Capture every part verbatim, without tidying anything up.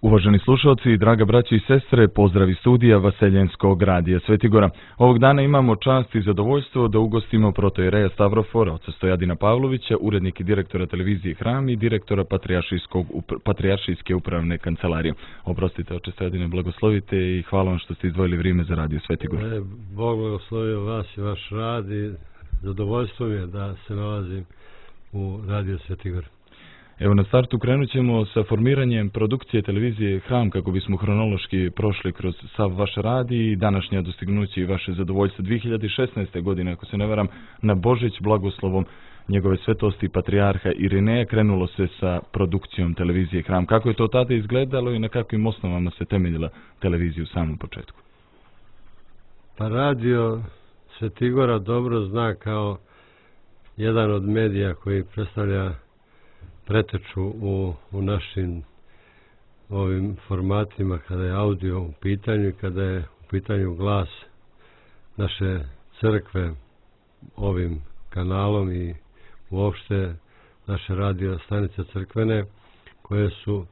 Uvaženi slušalci, draga braći i sestre, pozdrav iz studija Vaseljenskog radija Svetigora. Ovog dana imamo čast i zadovoljstvo da ugostimo protoijereja Stavrofora, oca Stojadina Pavlovića, urednik i direktora televizije Hram i direktora Patrijaršijske upravne kancelarije. Oprostite, oče Stojadine, blagoslovite i hvala vam što ste izdvojili vrijeme za radio Svetigor. E, Bog blagoslovio vas i vaš rad i zadovoljstvo mi je da se nalazim u radio Svetigor. Evo, na startu krenut ćemo sa formiranjem produkcije televizije Hram kako bismo hronološki prošli kroz sav vaš rad i današnja dostignuće i vaše zadovoljstvo. dvije hiljade šesnaeste. godine, ako se ne varam, na Božić blagoslovom njegove svetosti patrijarha Irineja krenulo se sa produkcijom televizije Hram. Kako je to tada izgledalo i na kakvim osnovama se temeljila televizija u samom početku? Pa radio Svetigora dobro zna kao jedan od medija koji predstavlja preteču u, u našim ovim formatima kada je audio u pitanju i kada je u pitanju glas naše crkve ovim kanalom i uopšte naše radio stanice crkvene koje su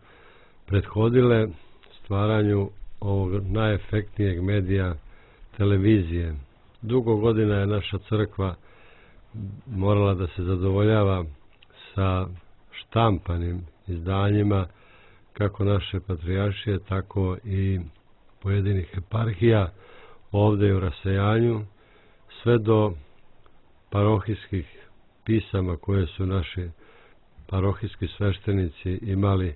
prethodile stvaranju ovog najefektnijeg medija televizije. Dugo godina je naša crkva morala da se zadovoljava sa štampanim izdanjima kako naše patrijaršije, tako i pojedinih eparhija ovdje u rasejanju, sve do parohijskih pisama koje su naši parohijski sveštenici imali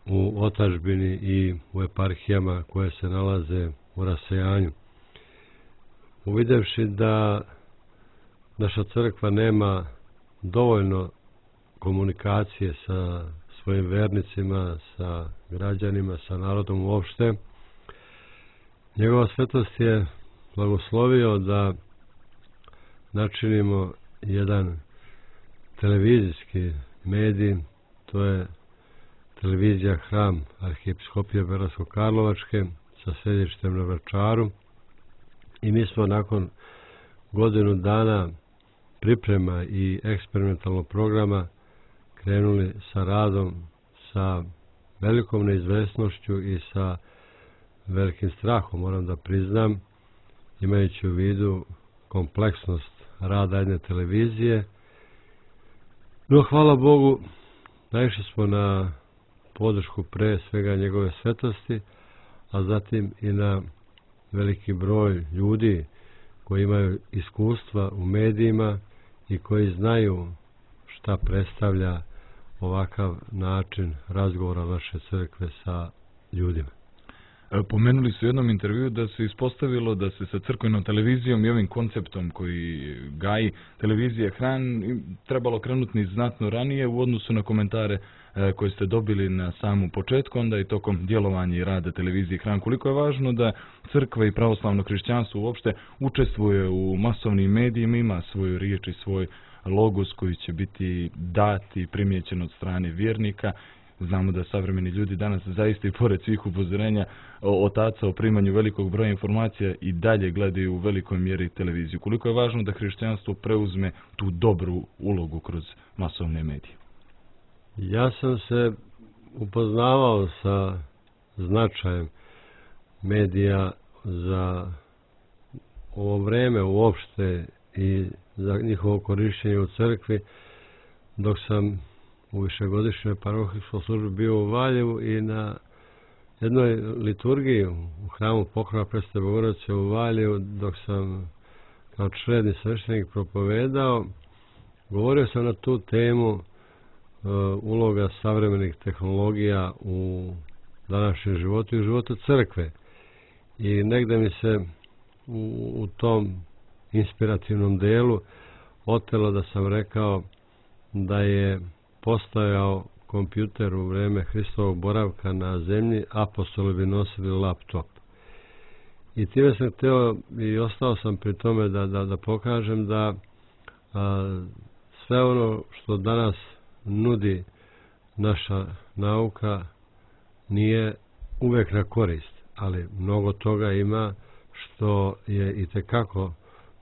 u otadžbini i u eparhijama koje se nalaze u rasejanju. Uvidevši da naša crkva nema dovoljno komunikacije sa svojim vernicima, sa građanima, sa narodom uopšte, njegova svetost je blagoslovio da načinimo jedan televizijski medij, to je televizija Hram Arhiepiskopije Beogradsko-Karlovačke sa sedištem na Vračaru, i mi smo nakon godinu dana priprema i eksperimentalnog programa krenuli sa radom sa velikom neizvesnošću i sa velikim strahom, moram da priznam, imajući u vidu kompleksnost rada jedne televizije. No, hvala Bogu, naišli smo na podršku pre svega njegove svetosti, a zatim i na veliki broj ljudi koji imaju iskustva u medijima i koji znaju šta predstavlja ovakav način razgovora naše crkve sa ljudima. Pomenuli su u jednom intervju da se ispostavilo da se sa crkvenom televizijom i ovim konceptom koji gaji televizija Hram trebalo krenuti znatno ranije u odnosu na komentare koje ste dobili na samom početku, onda i tokom djelovanja i rada televizije Hram. Koliko je važno da crkva i pravoslavno hrišćanstvo uopšte učestvuje u masovnim medijima, ima svoju riječ i svoj logos koji će biti dat i primijećen od strane vjernika. Znamo da savremeni ljudi danas zaista i pored svih upozorenja otaca o primanju velikog broja informacija i dalje gledaju u velikoj mjeri televiziju. Koliko je važno da hrišćanstvo preuzme tu dobru ulogu kroz masovne medije? Ja sam se upoznavao sa značajem medija za ovo vreme uopšte i za njihovo korištenje u crkvi dok sam u višegodišnjoj parohijskoj službi bio u Valjevu i na jednoj liturgiji u hramu Pokrova Presvete Bogorodice u Valjevu, dok sam kao čredni sveštenik propovedao, govorio sam na tu temu uh, uloga savremenih tehnologija u današnjem životu i u životu crkve. I negde mi se u, u tom inspirativnom delu otelo da sam rekao da je postojao kompjuter u vreme Hristovog boravka na zemlji, apostoli bi nosili laptop. I time sam htio i ostao sam pri tome da, da, da pokažem da a, sve ono što danas nudi naša nauka nije uvek na korist, ali mnogo toga ima što je itekako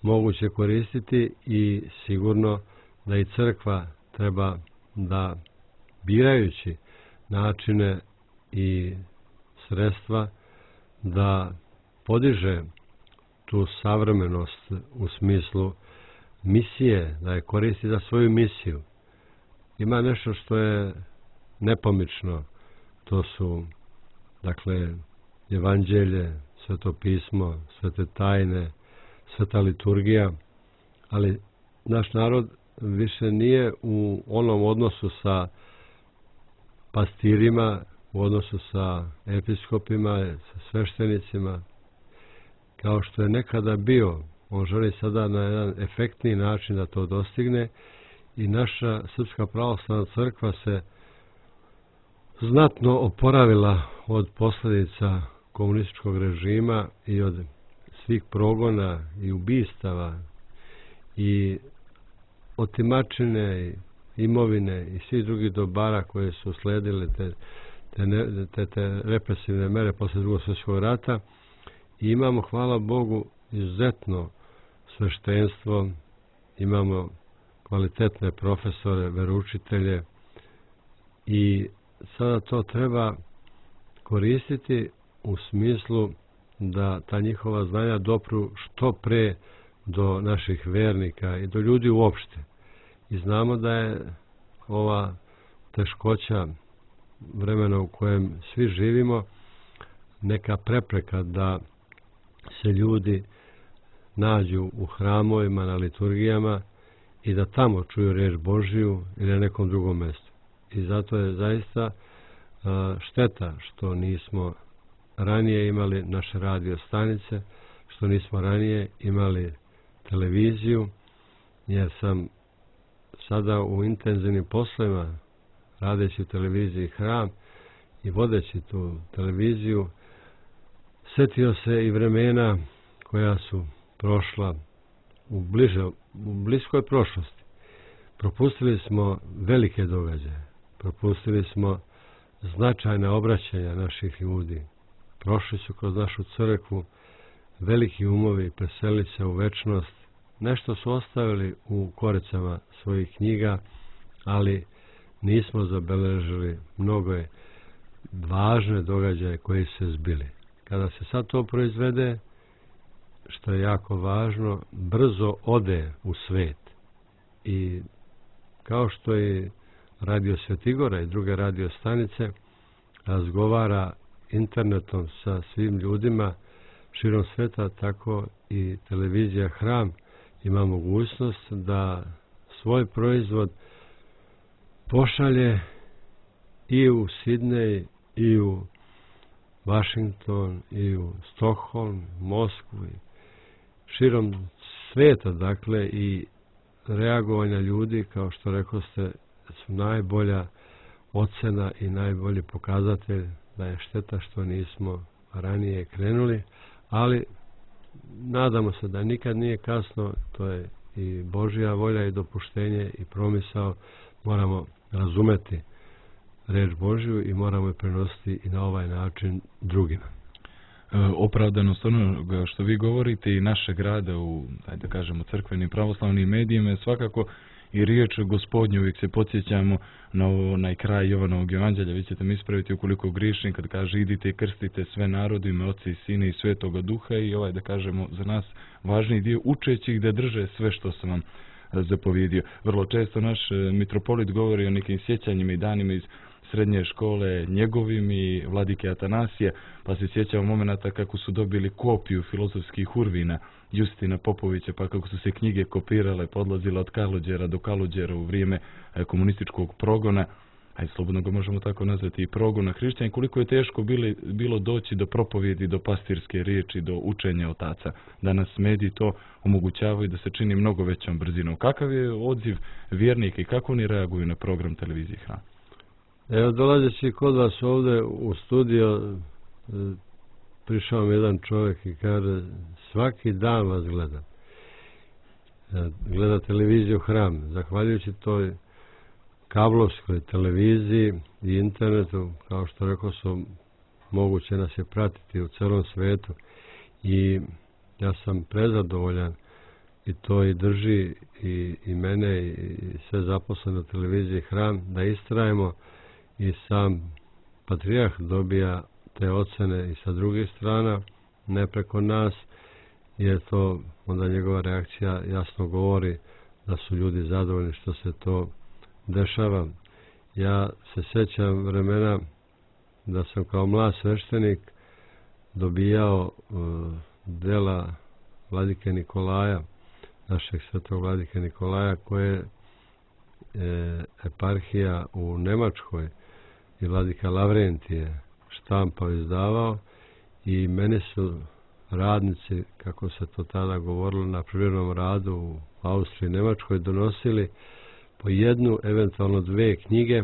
moguće koristiti i sigurno da i crkva treba da birajući načine i sredstva da podiže tu savremenost u smislu misije, da je koristi za svoju misiju. Ima nešto što je nepomično, to su, dakle, evanđelje, sveto pismo, svete tajne, sveta liturgija, ali naš narod više nije u onom odnosu sa pastirima, u odnosu sa episkopima, sa sveštenicima, kao što je nekada bio. On želi sada na jedan efektniji način da to dostigne i naša Srpska pravoslavna crkva se znatno oporavila od posljedica komunističkog režima i od svih progona i ubistava i otimačine i imovine i svih drugih dobara koje su sledile te, te, ne, te, te represivne mere posle Drugog svjetskog rata. I imamo, hvala Bogu, izuzetno sveštenstvo, imamo kvalitetne profesore, veroučitelje i sada to treba koristiti u smislu da ta njihova znanja dopru što pre do naših vernika i do ljudi uopšte. I znamo da je ova teškoća vremena u kojem svi živimo neka prepreka da se ljudi nađu u hramovima, na liturgijama i da tamo čuju riječ Božiju ili na nekom drugom mjestu. I zato je zaista šteta što nismo ranije imali naše radio stanice, što nismo ranije imali televiziju, jer sam sada u intenzivnim poslovima, radeći u televiziji Hram i vodeći tu televiziju, setio se i vremena koja su prošla u, bliže, u bliskoj prošlosti. Propustili smo velike događaje, propustili smo značajna obraćanja naših ljudi. Prošli su kroz našu crkvu veliki umovi, preselili se u večnost. Nešto su ostavili u koricama svojih knjiga, ali nismo zabeležili mnogo važne događaje koji se zbili. Kada se sad to proizvede, što je jako važno, brzo ode u svet. I kao što je Radio Svetigora i druge radio stanice razgovara internetom sa svim ljudima širom sveta, tako i televizija Hram ima mogućnost da svoj proizvod pošalje i u Sidnej, i u Washington, i u Stockholm, Moskvu, i širom sveta, dakle, i reagovanja ljudi, kao što rekao ste, su najbolja ocena i najbolji pokazatelj da je šteta što nismo ranije krenuli, ali nadamo se da nikad nije kasno, to je i Božja volja i dopuštenje i promisao, moramo razumeti reč Božju i moramo je prenositi i na ovaj način drugima. E, opravdanost onoga što vi govorite i našeg rada u, da kažemo, crkvenim pravoslavnim medijima je svakako i riječ Gospodnju. Uvijek se podsjećamo na onaj kraj Jovanovog evanđelja, vi ćete mi ispraviti ukoliko grišim, kad kaže idite i krstite sve narode, ime Oca i Sina i Svetoga Duha, i ovaj, da kažemo, za nas važni dio, učeći ih da drže sve što sam vam zapovjedio. Vrlo često naš mitropolit govori o nekim sjećanjima i danima iz srednje škole njegovim i vladike Atanasije, pa se sjećamo momenata kako su dobili kopiju filozofskih urvina Justina Popovića, pa kako su se knjige kopirale, podlazile od Kalođera do Kalođera u vrijeme komunističkog progona, a slobodno ga možemo tako nazvati, i progona hrišćana, koliko je teško bili, bilo doći do propovjedi, do pastirske riječi, do učenja otaca. Danas mediji to omogućavaju da se čini mnogo većom brzinom. Kakav je odziv vjernika i kako oni reaguju na program televizije Hram? Evo, dolazeći kod vas ovdje u studio, prišao mi jedan čovjek i kaže, svaki dan vas gledam. Gleda televiziju Hram. Zahvaljujući toj kablovskoj televiziji i internetu, kao što rekao sam, moguće nas je pratiti u celom svijetu. I ja sam prezadovoljan i to i drži i, i mene i sve zaposlene u televiziji Hram da istrajemo. I sam Patrijah dobija te ocene i sa drugih strana, ne preko nas, jer to onda njegova reakcija jasno govori da su ljudi zadovoljni što se to dešava. Ja se sjećam vremena da sam kao mlad sveštenik dobijao uh, dela vladike Nikolaja, našeg svetog vladike Nikolaja, koje je e, eparhija u Nemačkoj i vladika Lavrentije štampao i izdavao, i meni su radnici, kako se to tada govorilo, na privremenom radu u Austriji i Nemačkoj donosili po jednu, eventualno dve knjige,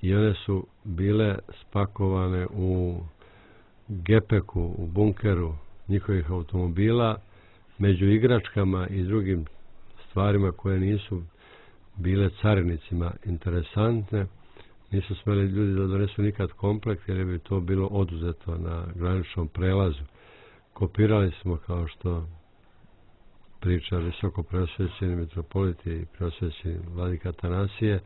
i one su bile spakovane u gepeku, u bunkeru njihovih automobila, među igračkama i drugim stvarima koje nisu bile carinicima interesantne. Nisu smeli ljudi da donesu nikad komplekt, jer bi to bilo oduzeto na graničnom prelazu. Kopirali smo, kao što priča visoko preosvećeni mitropoliti i preosvećeni vladika Atanasije,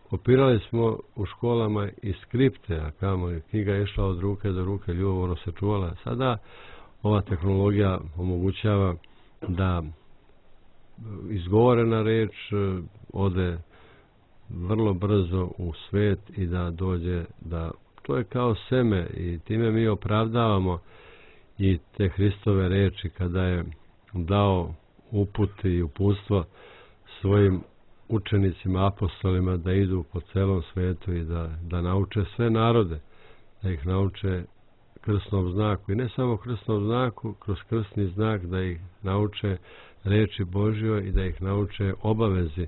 kopirali smo u školama i skripte, a kamo je knjiga išla od ruke do ruke, ljubomorno se čuvala. Sada ova tehnologija omogućava da izgovorena reč ode vrlo brzo u svet i da dođe, da to je kao seme, i time mi opravdavamo i te Hristove reči kada je dao uput i uputstvo svojim učenicima, apostolima, da idu po celom svetu i da, da nauče sve narode, da ih nauče krsnom znaku, i ne samo krsnom znaku, kroz krsni znak da ih nauče reči Božjoj i da ih nauče obavezi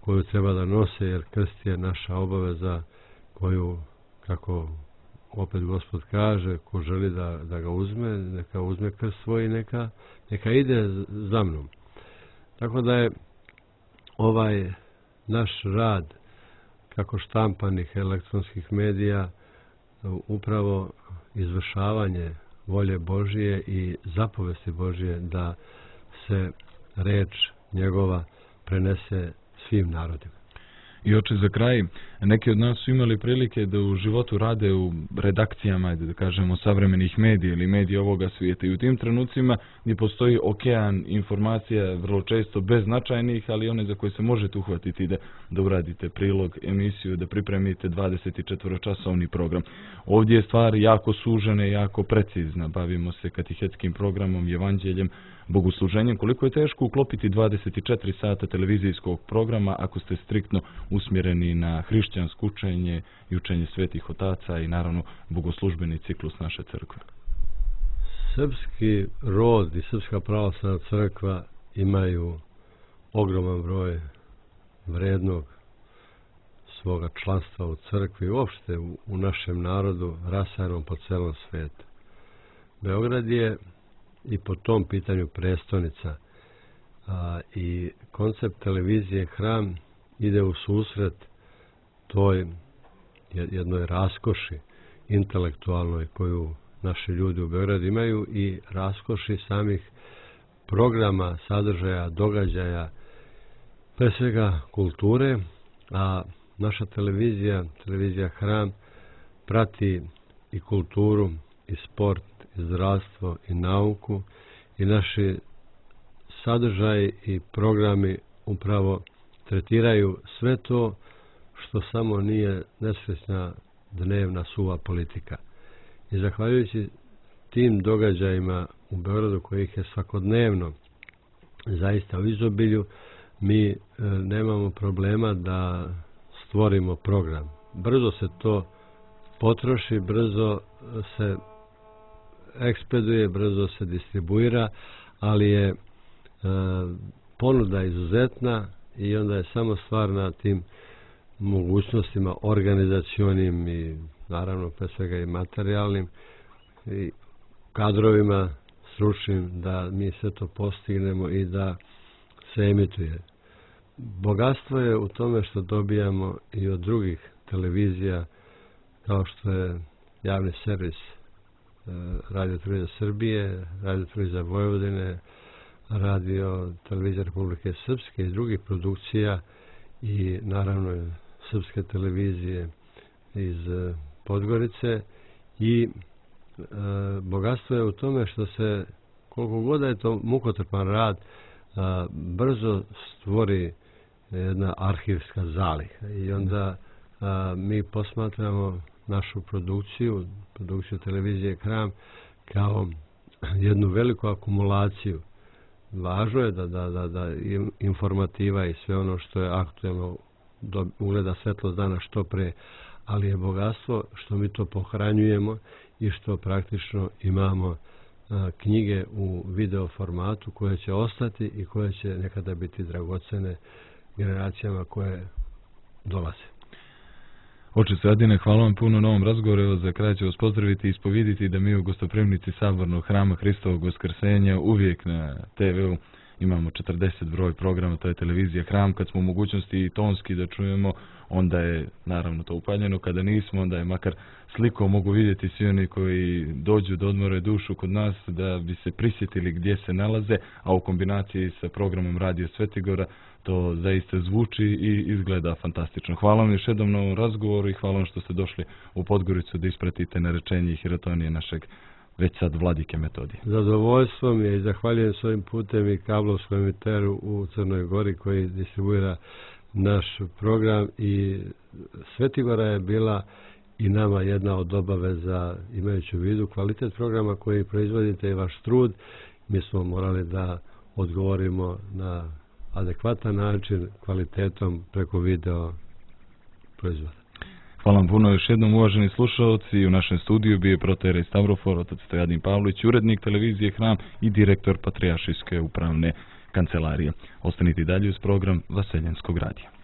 koju treba da nose, jer krst je naša obaveza koju, kako opet Gospod kaže, ko želi da, da ga uzme, neka uzme krst svoj i neka, neka ide za mnom. Tako da je ovaj naš rad, kako štampanih elektronskih medija, upravo izvršavanje volje Božije i zapovesti Božije da se reč njegova prenese svim narodima. I oče, za kraj, neki od nas su imali prilike da u životu rade u redakcijama, da kažemo, savremenih medija ili medija ovoga svijeta, i u tim trenucima gdje postoji okean informacija, vrlo često beznačajnih, ali one za koje se možete uhvatiti da, da uradite prilog, emisiju, da pripremite dvadesetčetvoročasovni program. Ovdje je stvar jako sužena i jako precizna. Bavimo se katihetskim programom, evanđeljem, bogosluženjem. Koliko je teško uklopiti dvadeset četiri sata televizijskog programa ako ste striktno usmjereni na hrišćansko učenje i učenje svetih otaca i naravno bogoslužbeni ciklus naše crkve? Srpski rod i Srpska pravoslavna crkva imaju ogroman broj vrednog svoga članstva u crkvi i uopšte u, u našem narodu, rasanom po celom svijetu. Beograd je i po tom pitanju prestonica, a, i koncept televizije Hram ide u susret toj jednoj raskoši intelektualnoj koju naši ljudi u Beogradu imaju i raskoši samih programa, sadržaja, događaja, pre svega kulture, a naša televizija, televizija Hram, prati i kulturu, i sport, i zdravstvo, i nauku, i naši sadržaji i programi upravo tretiraju sve to što samo nije nesrećna dnevna suva politika. I zahvaljujući tim događajima u Beogradu, kojih je svakodnevno zaista u izobilju, mi e, nemamo problema da stvorimo program. Brzo se to potroši, brzo se ekspeduje, brzo se distribuira, ali je e, ponuda izuzetna i onda je samo stvar na tim mogućnostima organizacionim i naravno pre svega i materijalnim i kadrovima stručnim da mi sve to postignemo i da se emituje. Bogatstvo je u tome što dobijamo i od drugih televizija, kao što je javni servis Radio televizija Srbije, Radio televizija Vojvodine, Radio televizija Republike Srpske i drugih produkcija i naravno srpske televizije iz Podgorice i e, bogatstvo je u tome što se, koliko god je to mukotrpan rad, a, brzo stvori jedna arhivska zaliha i onda a, mi posmatramo našu produkciju, produkciju televizije Hram kao jednu veliku akumulaciju. Važno je da, da, da, da informativa i sve ono što je aktuelno do, ugleda svetlost dana što pre, ali je bogatstvo što mi to pohranjujemo i što praktično imamo a, knjige u video formatu koje će ostati i koje će nekada biti dragocene generacijama koje dolaze. Oče Adine, hvala vam puno na ovom razgovoru. Evo, za kraj ću vas pozdraviti i ispoviditi da mi u gostoprimnici Sabornog hrama Hristovog Vaskrsenja uvijek na te ve u imamo četrdeset broj programa, to je televizija Hram. Kad smo u mogućnosti i tonski da čujemo, onda je naravno to upaljeno. Kada nismo, onda je makar slikom mogu vidjeti svi oni koji dođu da odmore dušu kod nas, da bi se prisjetili gdje se nalaze, a u kombinaciji sa programom Radio Svetigora to zaista zvuči i izgleda fantastično. Hvala vam još jednom na ovom razgovoru i hvala vam što ste došli u Podgoricu da ispratite narečenje i hirotonije našeg već sad vladike Metodija. Zadovoljstvo mi je i zahvaljujem s ovim putem i kablovskom emiteru u Crnoj Gori koji distribuira naš program i Svetigora je bila i nama jedna od obaveza, imajući u vidu kvalitet programa koji proizvodite i vaš trud. Mi smo morali da odgovorimo na adekvatan način kvalitetom preko video proizvoda. Hvala vam puno još jednom, uvaženi slušalci. U našem studiju bio je protoijerej Stavrofor, otac Stojadin Pavlović, urednik televizije Hram i direktor Patrijaršijske upravne kancelarije. Ostanite dalje uz program Vaseljenskog radija.